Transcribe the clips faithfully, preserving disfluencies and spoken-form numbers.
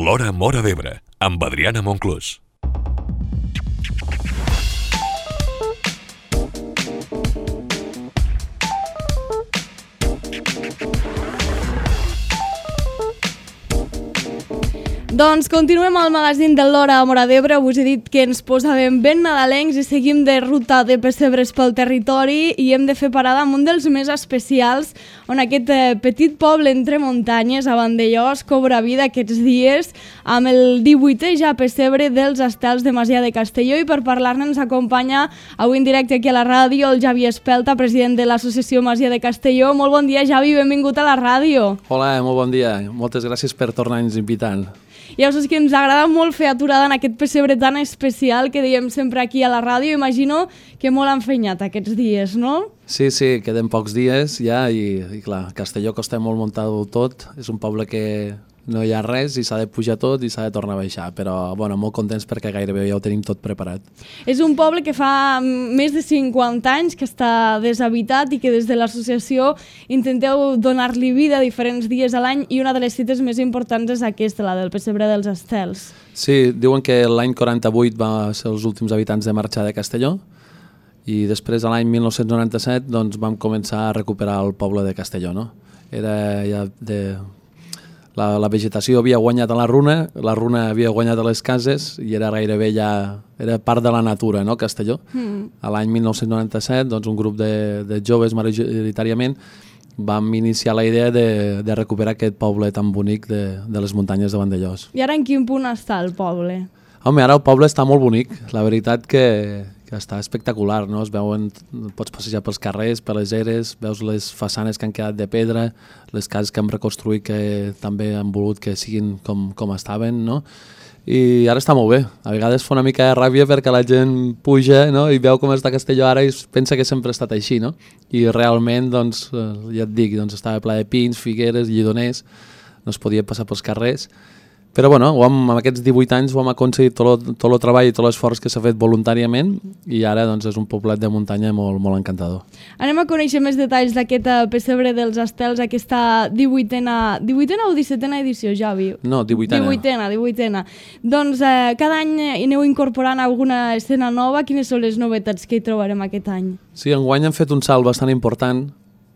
L'Hora Móra d'Ebre, amb Adriana Monclús. Doncs continuem al magazín de l'Hora Móra d'Ebre. Us he dit que ens posàvem ben nadalencs i seguim de ruta de pessebres pel territori i hem de fer parada amb un dels més especials, on aquest eh, petit poble entre muntanyes, a Vandellòs, cobra vida aquests dies amb el divuitè ja pessebre dels estels de Masia de Castelló, i per parlar-ne ens acompanya avui en directe aquí a la ràdio el Javi Espelta, president de l'associació Masia de Castelló. Molt bon dia, Javi, benvingut a la ràdio. Hola, molt bon dia. Moltes gràcies per tornar-nos invitant. Ja us és que ens agrada molt fer aturada en aquest pessebre tan especial que diem sempre aquí a la ràdio. Imagino que molt enfenyat aquests dies, no? Sí, sí, queden pocs dies ja i, i clar, Castelló costa molt muntar-ho tot. És un poble que no hi ha res i s'ha de pujar tot i s'ha de tornar a baixar, però bueno, molt contents perquè gairebé ja ho tenim tot preparat. És un poble que fa més de cinquanta anys que està deshabitat i que des de l'associació intenteu donar-li vida diferents dies a l'any, i una de les cites més importants és aquesta, la del pessebre dels estels. Sí, diuen que l'any quaranta-vuit va ser els últims habitants de marxar de Castelló i després a l'any mil nou-cents noranta-set doncs, vam començar a recuperar el poble de Castelló. No? Era ja de... La, la vegetació havia guanyat a la runa, la runa havia guanyat a les cases i era gairebé ja era part de la natura, no, Castelló. Mm. A l'any mil nou-cents noranta-set, doncs, un grup de, de joves majoritàriament vam iniciar la idea de, de recuperar aquest poble tan bonic de, de les muntanyes de Vandellòs. I ara en quin punt està el poble? Home, ara el poble està molt bonic, la veritat que, que està espectacular, no? Es veuen, pots passejar pels carrers, per les eres, veus les façanes que han quedat de pedra, les cases que hem reconstruït que també han volgut que siguin com, com estaven, no? I ara està molt bé. A vegades fa una mica de ràbia perquè la gent puja, no? I veu com està Castelló ara i pensa que sempre ha estat així, no? I realment, doncs, ja et dic, doncs estava ple de pins, figueres, lledoners, no es podia passar pels carrers. Però bueno, ho hem, amb aquests divuit anys ho hem aconseguit tot el, tot el treball i tot l'esforç que s'ha fet voluntàriament, i ara doncs, és un poblet de muntanya molt, molt encantador. Anem a conèixer més detalls d'aquest pessebre dels estels, aquesta divuitena, divuitena o dissetena edició, Javi? No, divuitena. Divuitena, divuitena. Doncs eh, cada any hi aneu incorporant alguna escena nova. Quines són les novetats que hi trobarem aquest any? Sí, enguany hem fet un salt bastant important.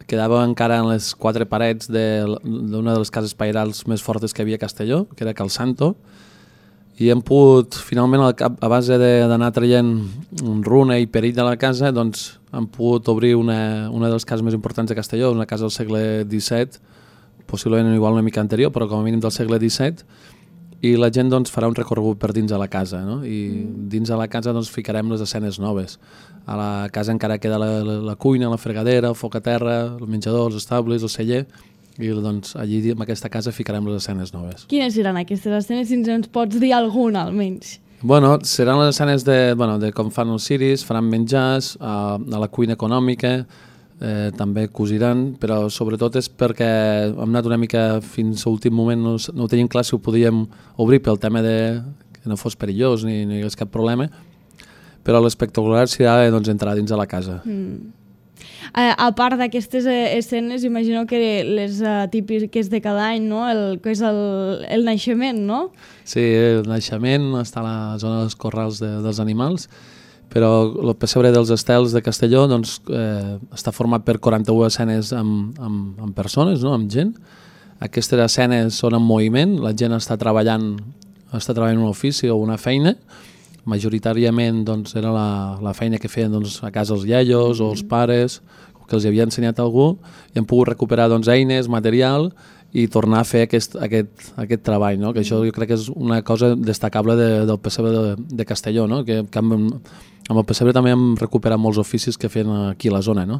Quedava encara en les quatre parets d'una de les cases pairals més fortes que havia a Castelló, que era Cal Santo, i hem pogut, finalment, a base d'anar traient runa i perill de la casa, doncs hem pogut obrir una, una de les cases més importants de Castelló, una casa del segle disset, possiblement igual una mica anterior, però com a mínim del segle disset, i la gent doncs, farà un recorregut per dins de la casa, no? I dins de la casa doncs, ficarem les escenes noves. A la casa encara queda la, la, la cuina, la fregadera, el foc a terra, el menjador, els estables, el celler, i doncs, allí en aquesta casa ficarem les escenes noves. Quines seran aquestes escenes, si ens pots dir alguna almenys? Bueno, seran les escenes de, bueno, de com fan els ciris, faran menjars, a, a la cuina econòmica, Eh, també cosiran, però sobretot és perquè hem anat una mica fins a l'últim moment, no, no ho teníem clar si ho podíem obrir pel tema de que no fos perillós ni, ni hi hagués cap problema, però l'espectacular serà doncs, entrar dins de la casa. Mm. A, a part d'aquestes eh, escenes, imagino que les uh, típiques de cada any, no? El, que és el, el naixement, no? Sí, el naixement està a la zona dels corrals de, dels animals, però el pessebre dels estels de Castelló doncs, eh, està format per quaranta-u escenes amb, amb, amb persones, no? Amb gent. Aquestes escenes són en moviment, la gent està treballant, està treballant un ofici o una feina. Majoritàriament doncs, era la, la feina que feien doncs, a casa els iaios o els pares, que els havia ensenyat algú, i hem pogut recuperar doncs, eines, material, i tornar a fer aquest, aquest, aquest treball, no? Que això jo crec que és una cosa destacable de, del pessebre de, de Castelló, no? Que, que amb, amb el pessebre també hem recuperat molts oficis que feien aquí a la zona, no?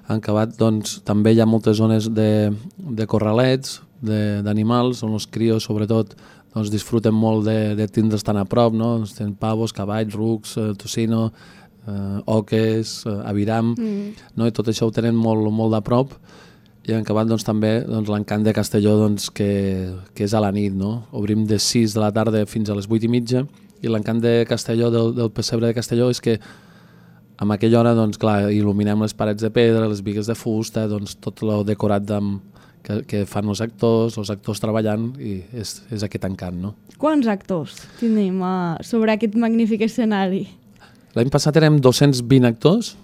Han acabat, doncs, també hi ha moltes zones de, de corralets, d'animals, on els crios, sobretot, doncs, disfruten molt de, de tindre's tan a prop, no? Doncs, tenen pavos, cavalls, rucs, eh, tocino, eh, oques, eh, aviram, mm. no? I tot això ho tenen molt, molt de prop. I han acabat doncs, també doncs, l'encant de Castelló doncs, que, que és a la nit, no? Obrim de sis de la tarda fins a les vuit i mitja, i l'encant de Castelló, del, del pessebre de Castelló, és que amb aquella hora doncs, clar, il·luminem les parets de pedra, les bigues de fusta, doncs, tot el decorat amb, que, que fan els actors, els actors treballant, i és, és aquest encant, no? Quants actors tenim uh, sobre aquest magnífic escenari? L'any passat érem dos-cents vint actors,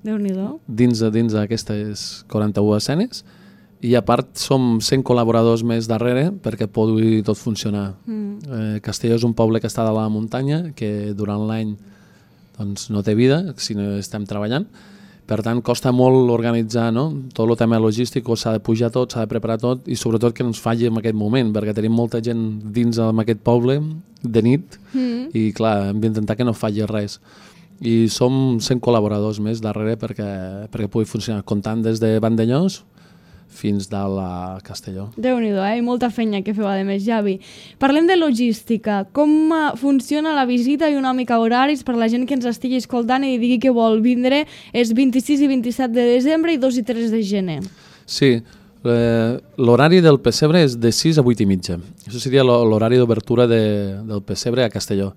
Déu-n'hi-do. dins, dins d'aquestes quaranta-u escenes, i a part som cent col·laboradors més darrere perquè pugui tot funcionar. Mm. Eh, Castelló és un poble que està de la muntanya, que durant l'any doncs, no té vida si no estem treballant. Per tant, costa molt organitzar, no? Tot el tema logístic, s'ha de pujar tot, s'ha de preparar tot, i sobretot que no ens falli en aquest moment, perquè tenim molta gent dins d'aquest poble de nit, mm. i clar, hem d'intentar que no falli res. I som cent col·laboradors més darrere perquè, perquè pugui funcionar, comptant des de Vandellós fins de la Castelló. Déu-n'hi-do, eh? Molta feina que feu, a més, Javi. Parlem de logística. Com funciona la visita i una mica horaris per la gent que ens estigui escoltant i digui que vol vindre és vint-i-sis i vint-i-set de desembre i dos i tres de gener. Sí, eh, l'horari del pessebre és de sis a vuit i mitja. Això seria l'horari d'obertura de, del pessebre a Castelló.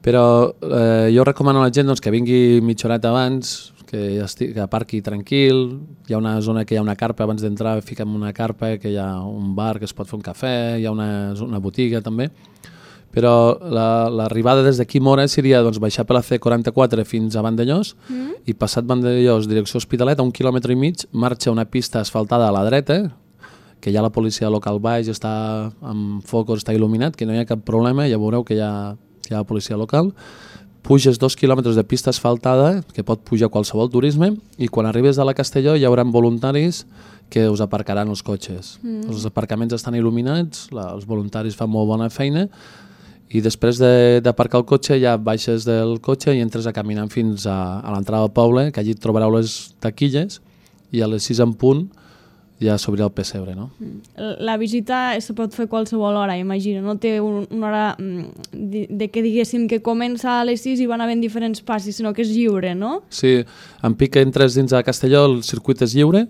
Però eh, jo recomano a la gent doncs, que vingui mitja horeta abans, que, estigui, que aparqui tranquil. Hi ha una zona que hi ha una carpa, abans d'entrar fiquem una carpa, que hi ha un bar que es pot fer un cafè, hi ha una, una botiga també. Però l'arribada la, des d'aquí Mora seria doncs, baixar per la C quaranta-quatre fins a Vandellós, mm. i passat Vandellós, direcció Hospitalet, a un quilòmetre i mig, marxa una pista asfaltada a la dreta, que hi ha la policia local baix, està amb focus, està il·luminat, que no hi ha cap problema, ja veureu que hi ha, que hi ha la policia local. Puges dos quilòmetres de pista asfaltada, que pot pujar qualsevol turisme, i quan arribes a la Castelló hi haurà voluntaris que us aparcaran els cotxes. Mm. Els aparcaments estan il·luminats, la, els voluntaris fan molt bona feina, i després d'aparcar el cotxe ja baixes del cotxe i entres a caminar fins a, a l'entrada del poble, que allí trobareu les taquilles, i a les sis en punt ja s'obrirà el pessebre, no? La visita se pot fer qualsevol hora, imagino. No té un, una hora de, de que diguéssim que comença a les sis i van havent diferents passis, sinó que és lliure, no? Sí, en pic que entres dins de Castelló, el circuit és lliure,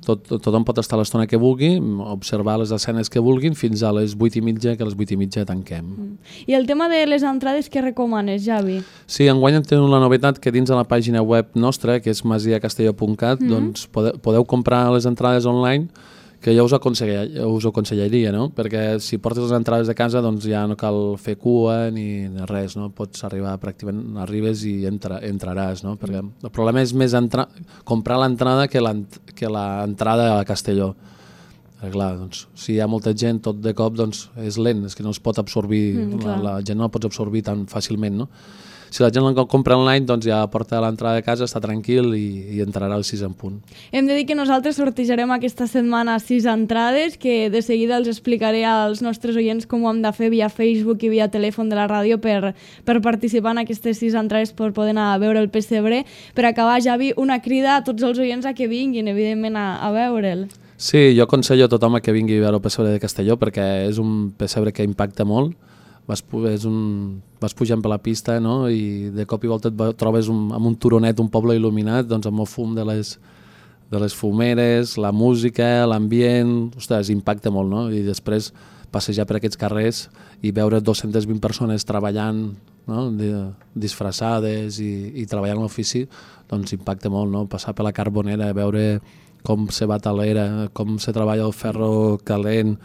tot, tothom pot estar a l'estona que vulgui, observar les escenes que vulguin, fins a les vuit i mitja, que a les vuit i mitja tanquem. Mm. I el tema de les entrades, què recomanes, Javi? Sí, enguany tenim la novetat que dins de la pàgina web nostra, que és masia castelló punt cat, mm. doncs podeu, podeu comprar les entrades online, que jo us, us ho aconsellaria, no? Perquè si portes les entrades de casa doncs ja no cal fer cua ni res, no? Pots arribar pràcticament, arribes i entra, entraràs, no? Perquè el problema és més entra, comprar l'entrada que l'entrada a Castelló. Perquè, clar, doncs, si hi ha molta gent tot de cop doncs és lent, és que no es pot absorbir, mm, la, la gent no la pots absorbir tan fàcilment, no? Si la gent la compra online, doncs ja porta a l'entrada de casa, està tranquil i, i entrarà al sis en punt. Hem de dir que nosaltres sortejarem aquesta setmana sis entrades, que de seguida els explicaré als nostres oients com ho hem de fer via Facebook i via telèfon de la ràdio per, per participar en aquestes sis entrades per poder anar a veure el pessebre. Per acabar, Javi, una crida a tots els oients a que vinguin, evidentment, a, a veure'l. Sí, jo aconsello a tothom a que vingui a veure el pessebre de Castelló perquè és un pessebre que impacta molt. Vas, és un, vas pujant per la pista, no? I de cop i volta et trobes un, amb un turonet, un poble il·luminat, doncs amb el fum de les, de les fumeres, la música, l'ambient, ostres, impacta molt, no? I després passejar per aquests carrers i veure dues-centes vint persones treballant, no? Disfressades i, i treballant a l'ofici, doncs impacta molt, no? Passar per la Carbonera, veure com se bat a l'era, com se treballa el ferro calent,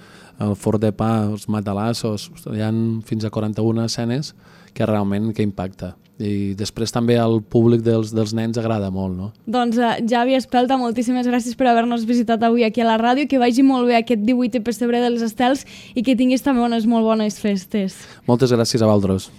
el forn de pa, els matalassos, hi ha fins a quaranta-una escenes que realment que impacta. I després també al públic dels, dels nens agrada molt, no? Doncs uh, Javi Espelta, moltíssimes gràcies per haver-nos visitat avui aquí a la ràdio, que vagi molt bé aquest divuitè pessebre dels Estels i que tinguis també unes molt bones festes. Moltes gràcies a vosaltres.